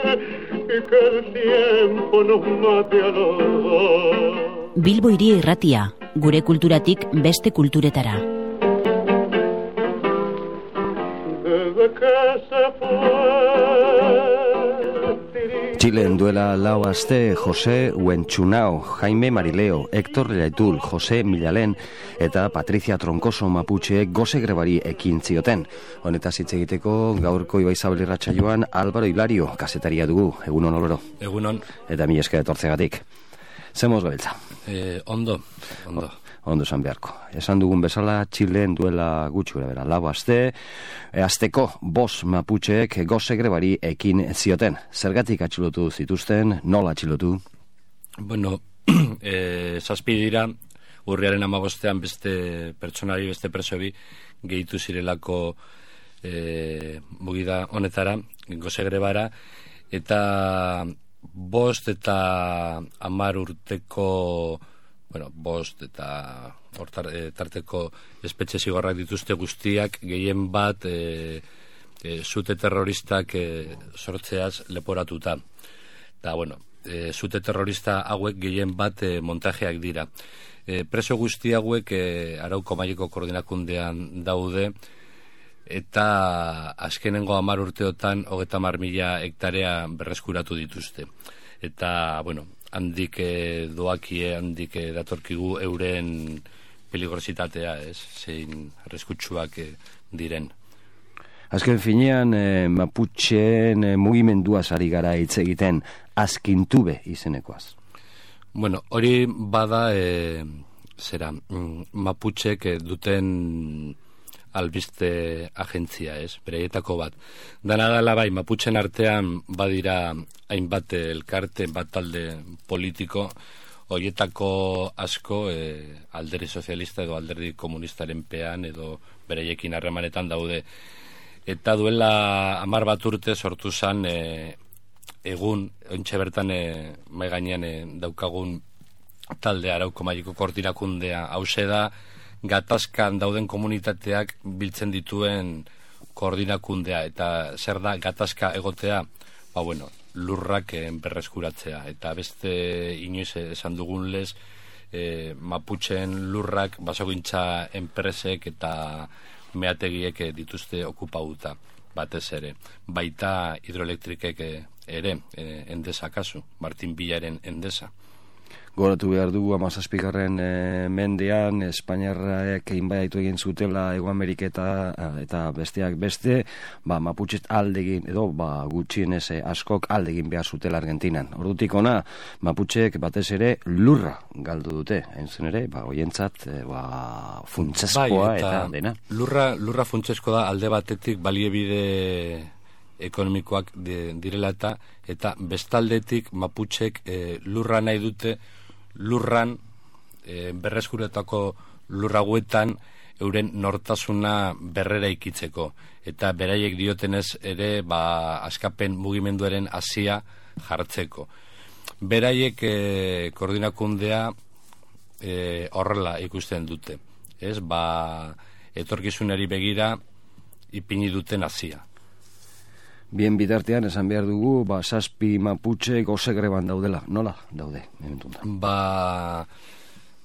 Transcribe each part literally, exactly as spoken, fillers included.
y que el tiempo nos mate a los. Bilbo Hiria Irratia, gure kulturatik beste kulturetara. Desde que se fue Txilen duela lau aste Jose Huentxunao, Jaime Marileo, Héctor Letul, Jose Milalen eta Patricia Troncoso Maputxeek goze grebari ekin zioten. Honetaz hitz egiteko gaurko Ibaizabal irratsaioan Álvaro Hilario kazetaria dugu. Egunon oloro. Egunon. Eta mi esker etortzegatik. Zemoz gabiltza. Eh, ondo, ondo. Ondo esan beharko. Esan dugun bezala, Txilen duela gutxi gara bera. Lau aste, e, asteko bos Maputxeek goze grebari ekin zioten. Zergatik atxilotu zituzten, nola atxilotu? Bueno, eh, zazpi dira, urriaren amabostean beste pertsonari, beste presobi, gehitu zirelako eh, mugida honetara, goze grebara, eta bost eta hamar urteko, bueno, bost eta hortar, e, tarteko espetxe zigorrak dituzte guztiak, gehien bat e, e, zute terroristak e, sortzeaz leporatuta. Eta, bueno, e, zute terrorista hauek gehien bat e, montajeak dira. E, preso guzti hauek e, Arauko Maileko Koordinakundean daude, eta azkenengo hamar urteotan hogeita hamar mila hektarea berreskuratu dituzte. Eta, bueno, handik eh, doakie, handik eh, datorkigu euren peligrositatea, ez, zein arriskutsuak eh, diren. Azken finean, eh, Maputxeen eh, mugimenduaz ari gara hitz egiten, Azkintube izenekoaz. Bueno, hori bada, eh, zera, Maputxek eh, duten albiste agentzia, ez, bereietako bat. Dana dela bai, Maputxen artean badira hainbat elkarte, bat talde politiko, horietako asko e, alderdi sozialista edo alderdi komunistaren pean edo bereiekin harremanetan daude. Eta duela hamar bat urte sortu zan e, egun, ontxe bertan e, mai gainean e, daukagun talde Arauko Maileko Koordinakundea, hause da, gatazkan dauden komunitateak biltzen dituen koordinakundea, eta zer da gatazka egotea, ba bueno, lurrak eh, berreskuratzea, eta beste inoiz esan dugun lez, eh, Maputxeen lurrak basogintza enpresek eta meategiek eh, dituzte okupauta, batez ere, baita hidroelektrikek eh, ere, eh, Endesa kasu, Martin Villaren Endesa. Goratu behar dugu hamazazpigarren e, mendean Espainiarrak inbaditu egin zutela Hego Ameriketa eta besteak beste, ba, Maputxet aldegin edo ba, gutxienez askok aldegin behar zutela Argentinan. Ordutik ona, Maputxek batez ere lurra galdu dute, entzen ere, ba, oientzat e, ba, funtseskoa bai, eta, eta dena. Lurra, lurra funtsesko da alde batetik baliebide ekonomikoak direla eta eta bestaldetik Maputxek e, lurra nahi dute lurran, e, berreskuretako lurraguetan euren nortasuna berrera ikitzeko. Eta beraiek diotenez ere, ba, askapen mugimenduaren hasia jartzeko. Beraiek e, koordinakundea e, horrela ikusten dute. Ez, ba, etorkizunari begira ipini duten hasia. Bien bitartean esan behar dugu, ba, zazpi Maputxe goze greban daudela. Nola daude? Ba,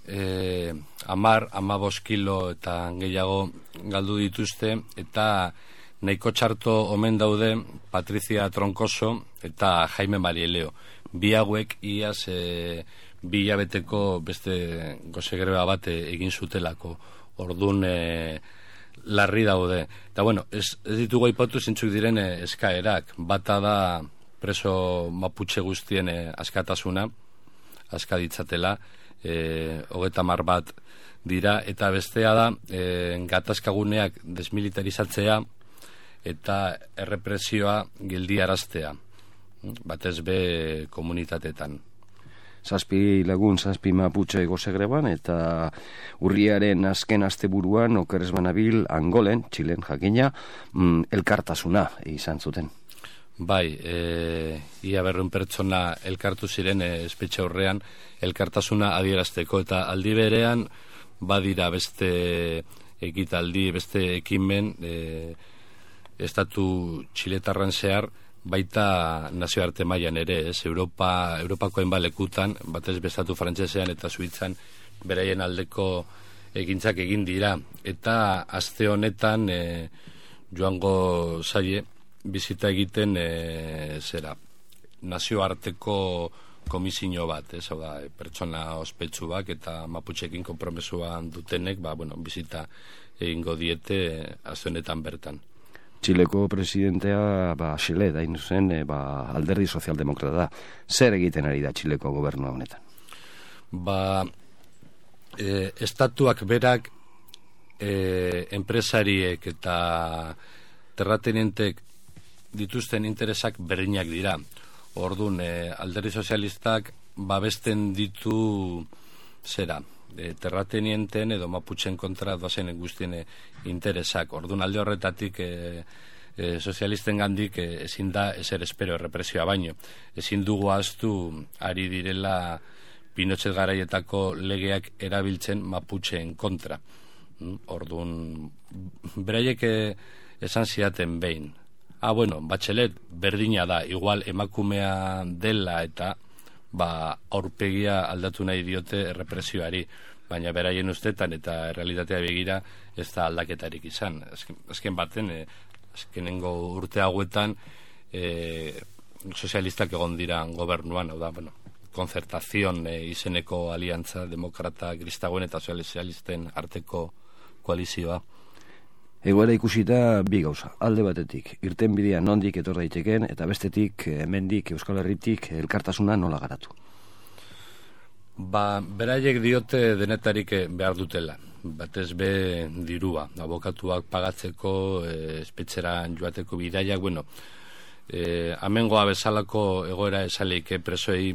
eh, amar, amabos kilo eta gehiago galdu dituzte, eta nahiko txarto omen daude Patricia Troncoso eta Jaime Marileo. Bi hauek iaz e, bi hilabeteko beste goze greba bat egin zutelako. Ordun e, larri daude. Eta bueno, ez, ez ditugu aipatu zintzuk diren eh, eskaerak. Bata da preso Maputxe guztien eh, askatasuna, aska ditzatela, eh, hogeita hamar bat dira, eta bestea da eh, gatazkaguneak desmilitarizatzea eta errepresioa geldiaraztea, batez be komunitatetan. Zazpi lagun, zazpi Maputxe goze greban, eta urriaren azken asteburuan okerez banabil Angolen, Txilen jakina, mm, elkartasuna izan zuten. Bai, e, ia berreun pertsona elkartu ziren e, espetxe aurrean elkartasuna adierazteko, eta aldi berean badira beste ekitaldi, beste ekimen e, estatu txiletarran zehar baita nazioarte mailan ere, ez? Europa, Europako hainbat lekutan, batez bestatu frantsesean eta Suitzan beraien aldeko egintzak egin dira. Eta aste honetan e, joango zaie bizita egiten e, zera nazioarteko komisio bat, ez? Hau da, pertsona ospetsuak eta maputxekin konpromesuan dutenek, ba, bueno, bizita egingo diete aste honetan bertan. Txileko presidentea, ba, Xile, dain zen, e, ba, alderdi sozialdemokrata da. Zer egiten ari da Txileko gobernua honetan? Ba, e, estatuak berak e, enpresariek eta terratenientek dituzten interesak berdinak dira. Orduan, e, alderdi sozialistak babesten ditu zera, e, terratenienten edo maputxen kontra doazen guztien e, interesak. Orduan, alde horretatik e, e, sozialisten gandik e, ezin da ezer espero errepresioa baino. Ezin dugu ahaztu ari direla Pinochet garaietako legeak erabiltzen maputxeen kontra. Orduan, beraiek e, esan ziaten behin. Ah, bueno, Bachelet berdina da, igual emakumea dela eta ba, aurpegia aldatu nahi diote errepresioari, baina beraien ustetan eta realitatea begira ez da aldaketarik izan. Azken, azken baten, eh, azkenengo urte hauetan eh, sozialistak egon dira gobernuan, hau da, bueno, konzertazion eh, izeneko aliantza demokrata kristagoen eta sozialisten arteko koalizioa. Egoera ikusita bi gauza, alde batetik, irten bidea nondik etor daiteken, eta bestetik, hemendik Euskal Herritik elkartasuna nola garatu? Ba, beraiek diote denetarik behar dutela, batez be dirua, abokatuak pagatzeko, e, espetxera joateko bidaiak, bueno, e, amengoa bezalako egoera esaleike presoei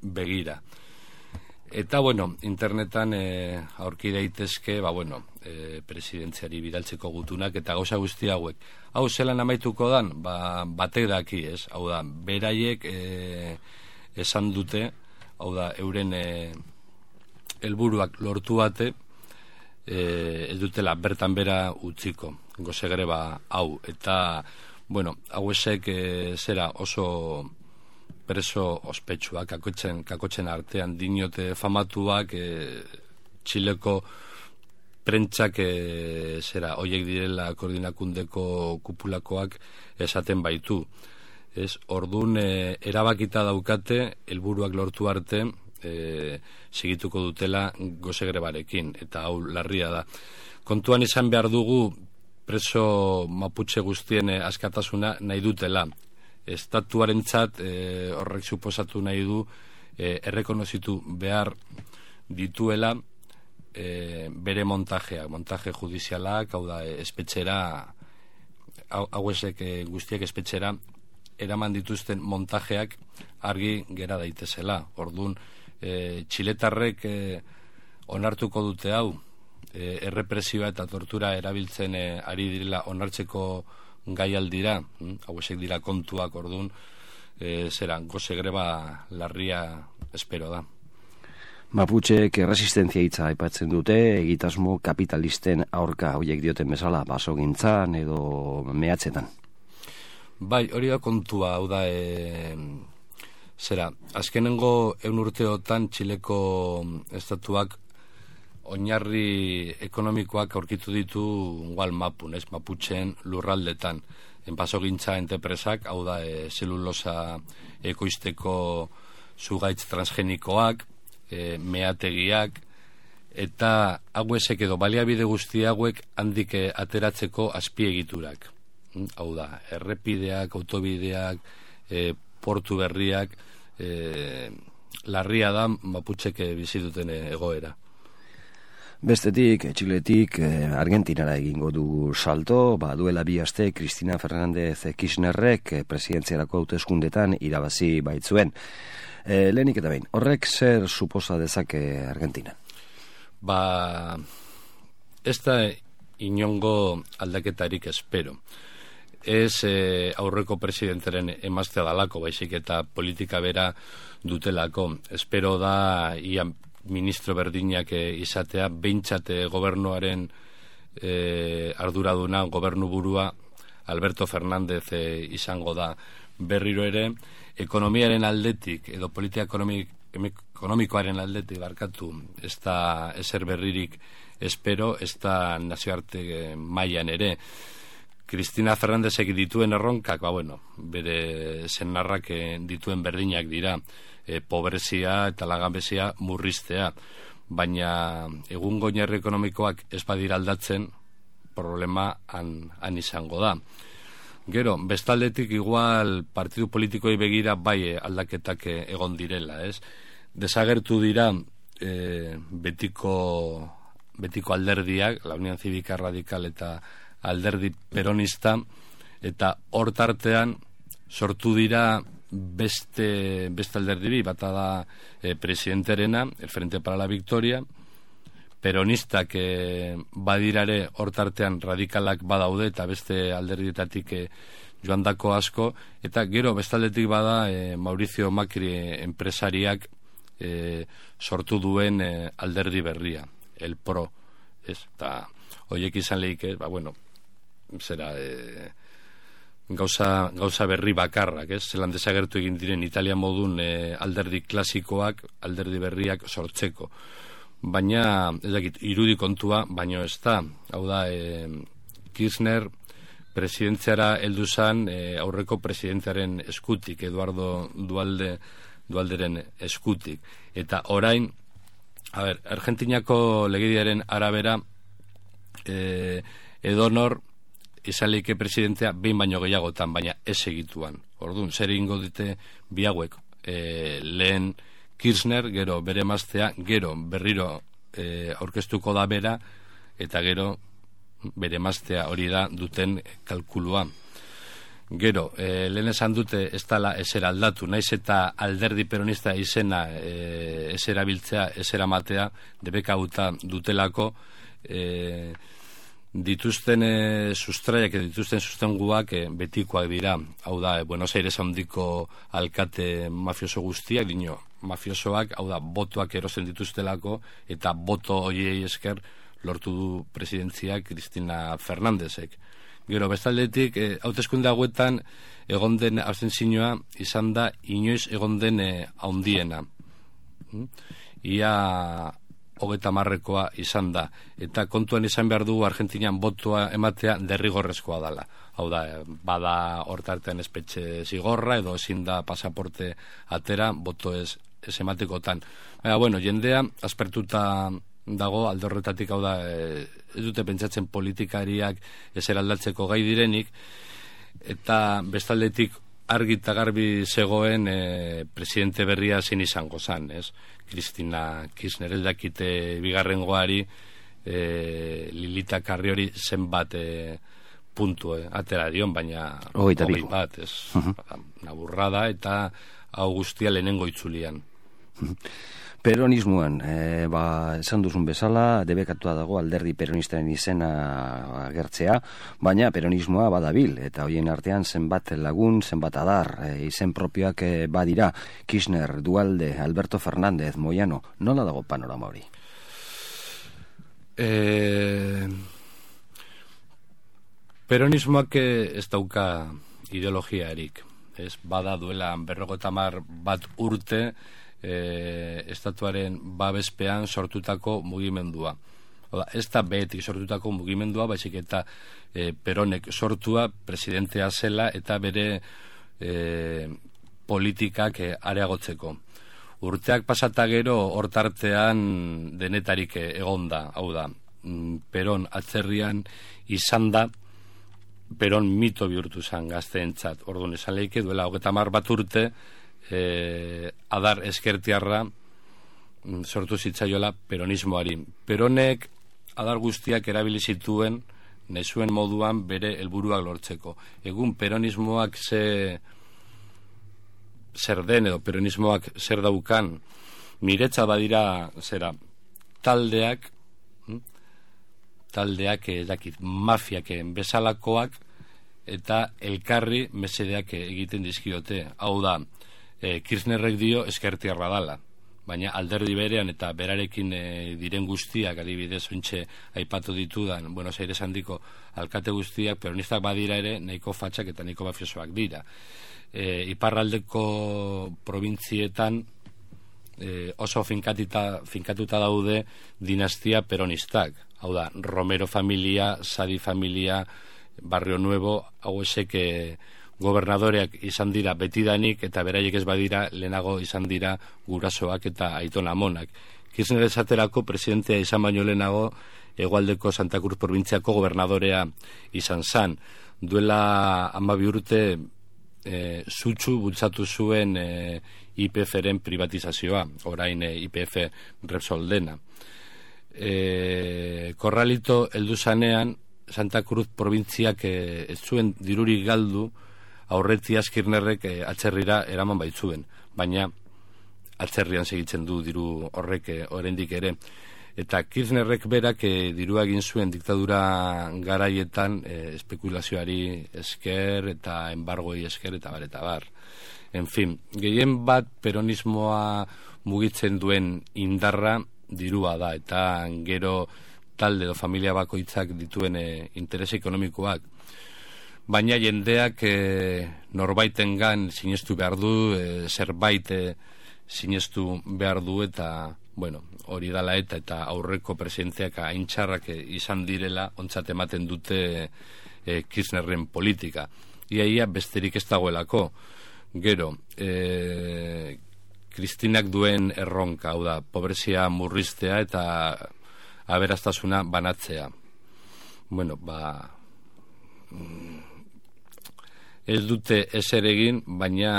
begira. Eta, bueno, internetan e, aurki daitezke, ba, bueno, e, presidentziari bidaltzeko gutunak eta gauza guzti hauek. Hau, zelan amaituko dan? Ba, batek daki, ez? Hau da, beraiek e, esan dute, hau da, euren e, helburuak lortu bate, e, ez dutela bertan bera utziko, goze greba hau. Eta, bueno, hau esek e, zera oso preso ospetsuak, kakotzen, kakotzen artean dinote famatuak, e, Txileko prentsak e, zera, hoiek direla koordinakundeko kupulakoak esaten baitu. Ez, ordun e, erabakita daukate, helburuak lortu arte, e, segituko dutela goze grebarekin, eta hau larria da. Kontuan izan behar dugu preso maputxe guztien askatasuna nahi dutela. Estatuarentzat e, horrek suposatu nahi du e, errekonozitu behar dituela e, bere montajea, montaje judizialak, hau da, espetxera, hau esek e, guztiak espetxera, eraman dituzten montajeak argi gera daitezela. Orduan, e, txiletarrek e, onartuko dute hau, e, errepresioa eta tortura erabiltzen e, ari direla onartzeko gai aldira, hm? Hau esek dira kontuak, orduan, e, zera, goze greba larria espero da. Maputxek erresistentzia hitza aipatzen dute, egitasmo kapitalisten aurka horiek dioten bezala, basogintzan edo mehatzetan. Bai, hori da kontua, hau da, e, zera, azkenengo eun urteotan Txileko estatuak oinarri ekonomikoak aurkitu ditu igual mapun, ez, maputxen lurraldetan. Enpasogintza entepresak, hau da, e, zelulosa ekoizteko zugaitz transgenikoak, e, meategiak, eta hauesek edo baliabide guzti hauek handik ateratzeko azpiegiturak. Hau da, errepideak, autobideak, e, portu berriak, e, larria da maputxek bizi duten egoera. Bestetik, Txiletik, eh, Argentinara egingo du salto, ba, duela bi aste Cristina Fernández Kirchnerrek eh, presidentziarako hauteskundetan irabazi baitzuen. Eh, lehenik eta behin, horrek zer suposa dezake Argentina? Ba, ez da inongo aldaketarik espero. Ez eh, aurreko presidentaren emaztea dalako, baizik eta politika bera dutelako. Espero da, ia ministro berdinak izatea, behintzate gobernuaren e, arduraduna, gobernu burua Alberto Fernández e, izango da. berriro ere ekonomiaren aldetik edo politika ekonomik, ekonomikoaren aldetik barkatu ez da ezer berririk espero, ez da nazioarte mailan ere. Cristina Fernándezek dituen erronkak, ba bueno, bere senarrak dituen berdinak dira, e, pobrezia eta langabezia murriztea, baina egungo oinarri ekonomikoak ez badira aldatzen, problema han, han izango da. Gero, bestaldetik igual partidu politikoi begira bai aldaketak egon direla, ez? Desagertu dira e, betiko, betiko alderdiak, la Unión Cívica Radical eta alderdi peronista, eta hor tartean sortu dira beste, beste alderdi bata da e, presidenterena, el Frente para la Victoria, peronistak e, badirare hor tartean radikalak badaude eta beste alderdietatik e, joandako asko, eta gero bestaldetik bada e, Mauricio Macri enpresariak e, sortu duen e, alderdi berria, el PRO, ez? Eta horiek izan lehik, ba bueno, zera e, gauza, gauza berri bakarrak, ez? Zelan desagertu egin diren Italia modun e, alderdi klasikoak, alderdi berriak sortzeko. Baina, ez dakit, irudi kontua, baino ez da. Hau da, e, Kirchner presidentziara heldu zan e, aurreko presidentziaren eskutik, Eduardo Dualde, Dualderen eskutik. Eta orain, a ber, Argentinako legediaren arabera, e, edonor izan leike presidentea behin baino gehiagotan, baina ez egituan. Orduan, zer egingo dute bi hauek, e, lehen Kirchner, gero bere emaztea, gero berriro e, aurkeztuko da bera, eta gero bere emaztea hori da duten kalkulua. Gero, e, lehen esan dute ez dala ezer aldatu, naiz eta alderdi peronista izena e, ez erabiltzea, ez eramatea, debekauta dutelako, e, dituzten e, sustraiak, dituzten sustenguak e, betikoak dira. Hau da, e, Buenos Aires handiko alkate mafioso guztiak, dino, mafiosoak, hau da, botoak erosten dituztelako, eta boto horiei esker lortu du presidentzia Cristina Fernándezek. Gero, bestaldetik, e, hauteskunde hauetan egon den abstentzioa izan da inoiz egon den e, haundiena. Ia hogeta marrekoa izan da. Eta kontuan izan behar du Argentinian botoa ematea derrigorrezkoa dela. Hau da, bada hortartean espetxe zigorra edo ezin da pasaporte atera, boto ez, ez ematekotan. Baina, bueno, jendea aspertuta dago alde horretatik, hau da, e, ez dute pentsatzen politikariak ezer aldatzeko gai direnik, eta bestaldetik argi eta garbi zegoen e, presidente berria zein izango zan, ez? Cristina Kirchner, ez dakite bigarrengoari e, Lilita Carriori zenbat e, puntu e, atera dion, baina hogei bat, ez? Uh-huh. Naburrada eta hau guztia lehenengo itzulian. Peronismoan, e, ba, esan duzun bezala, debekatua dago alderdi peronistaren izena agertzea, baina peronismoa badabil, eta hoien artean zenbat lagun, zenbat adar, e, izen propioak e, badira, Kirchner, Dualde, Alberto Fernández, Moyano, nola dago panorama hori? E, peronismoak ez dauka ideologiarik, ez bada duela berrogeita hamar bat urte, E, estatuaren babespean sortutako mugimendua. Oda, ez da behetik sortutako mugimendua, baizik eta e, Peronek sortua presidentea zela eta bere e, politikak e, areagotzeko. Urteak pasata gero hortartean denetarik egonda, hau da, Peron atzerrian izan da, Peron mito bihurtu zen gazteentzat. Orduan esan lehike duela hogeta hamar bat urte, Eh, adar eskertiarra sortu zitzaiola peronismoari. Peronek adar guztiak erabili zituen nezuen moduan bere helburuak lortzeko. Egun peronismoak ze zer den edo peronismoak zer daukan, miretza badira zera taldeak taldeak edakit mafiak bezalakoak eta elkarri mesedeak egiten dizkiote. Hau da, E, Kirchnerrek dio eskertiarra dala, baina alderdi berean eta berarekin e, diren guztiak, adibidez, ontxe aipatu ditudan, Buenos Aires handiko alkate guztiak, peronistak badira ere, nahiko fatxak eta nahiko mafiosoak dira. E, iparraldeko provintzietan e, oso finkatuta, finkatuta daude dinastia peronistak. Hau da, Romero familia, Sadi familia, Barrio Nuevo, hau esek e, gobernadoreak izan dira betidanik eta beraiek ez badira lehenago izan dira gurasoak eta aiton amonak. Kirchner esaterako presidentea izan baino lehenago hegoaldeko Santa Cruz probintziako gobernadorea izan zan. Duela hamabi urte e, sutsu bultzatu zuen e, I P F-ren privatizazioa, orain e, I P F Repsol dena. E, Korralito heldu zanean Santa Cruz probintziak e, ez zuen dirurik galdu aurretiaz Kirchnerrek e, atzerrira eraman baitzuen, baina atzerrian segitzen du diru horrek e, oraindik ere. Eta Kirchnerrek berak e, dirua egin zuen diktadura garaietan e, espekulazioari esker eta embargoi esker eta bar eta bar. En fin, gehien bat peronismoa mugitzen duen indarra dirua da, eta gero talde edo familia bakoitzak dituen e, interes ekonomikoak. Baina jendeak e, norbaitengan sinestu behar du, e, zerbait e, sinestu behar du, eta bueno, hori dala eta eta aurreko presidenteak aintxarrak e, izan direla ontzat ematen dute e, Kirchnerren politika. Iaia besterik ez dagoelako. Gero, e, Kristinak duen erronka, hau da, pobrezia murriztea eta aberastasuna banatzea. Bueno, ba... ez dute ezer egin, baina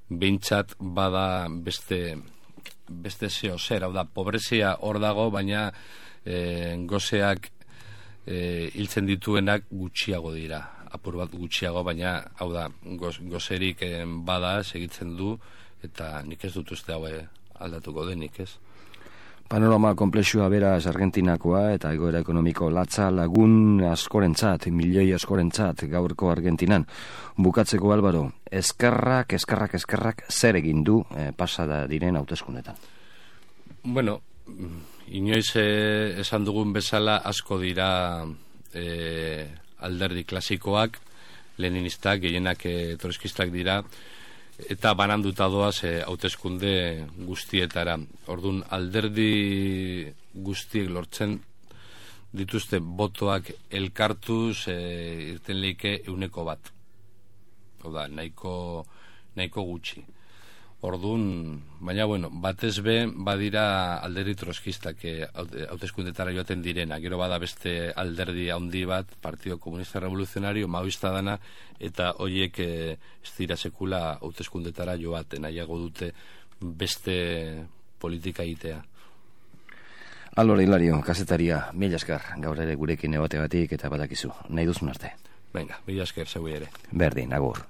behintzat bada beste beste zeo zer, hau da, pobrezia hor dago, baina e, gozeak e, hiltzen dituenak gutxiago dira, apur bat gutxiago, baina hau da, goz, gozerik e, bada segitzen du, eta nik ez dut uste hau aldatuko denik, ez? Panorama komplexua beraz Argentinakoa eta egoera ekonomiko latza lagun askorentzat, milioi askorentzat gaurko Argentinan. Bukatzeko Álvaro, eskerrak, eskerrak, eskerrak zer egin du eh, pasada diren hauteskundetan? Bueno, inoiz eh, esan dugun bezala asko dira eh, alderdi klasikoak, leninistak, gehienak eh, trotskistak dira, eta bananduta doaz e, hauteskunde guztietara. Ordun alderdi guztiek lortzen dituzte botoak elkartuz e, irten leike euneko bat. Oda, nahiko, nahiko gutxi. Ordun, baina bueno, batez be badira alderdi troskistak e, hauteskundetara joaten direna. Gero bada beste alderdi handi bat, Partido Comunista Revolucionario, maoista dana, eta horiek e, ez dira sekula hauteskundetara joaten, nahiago dute beste politika egitea. Álvaro Hilario, kazetaria, mila esker, gaur ere gurekin ebategatik eta badakizu, nahi duzun arte. Venga, mila esker, zeu ere. Berdin, agur.